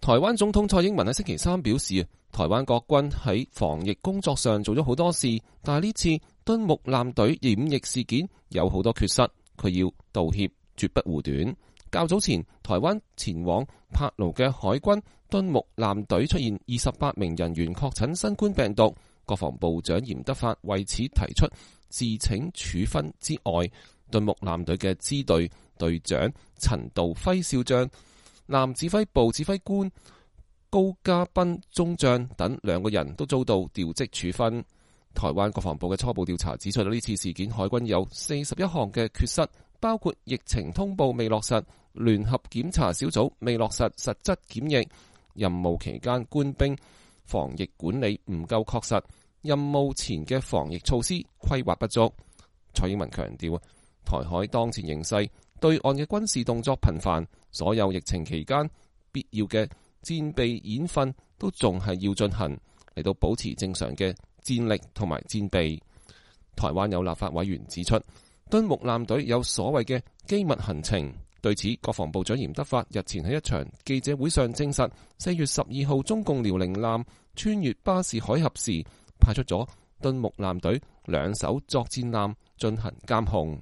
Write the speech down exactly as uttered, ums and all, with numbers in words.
台灣總統蔡英文喺星期三表示，台灣國軍喺防疫工作上做咗好多事，但係呢次敦睦艦隊染疫事件有好多缺失，佢要道歉，絕不護短。較早前，台灣前往帕勞嘅海軍敦睦艦隊出現二十八名人員確診新冠病毒，國防部長嚴德發為此提出自請處分之外，敦睦艦隊嘅支隊隊長陳道輝少將、艦指揮部指揮官高嘉斌中將等兩個人都遭到調職處分。台灣國防部嘅初步調查指出，呢次事件海軍有四十一項嘅缺失，包括疫情通報未落實、聯合檢查小組未落實實質檢疫、任務期間官兵防疫管理唔夠確實、任務前嘅防疫措施規劃不足。蔡英文強調，台海當前形勢，對岸嘅軍事動作頻繁，所有疫情期間必要嘅戰備演訓都仲係要進行，嚟到保持正常嘅戰力同埋戰備。台灣有立法委員指出，敦睦艦隊有所謂嘅機密行程。對此，國防部長嚴德發日前喺一場記者會上證實，四月十二號中共遼寧艦穿越巴士海峽時，派出咗敦睦艦隊兩艘作戰艦進行監控。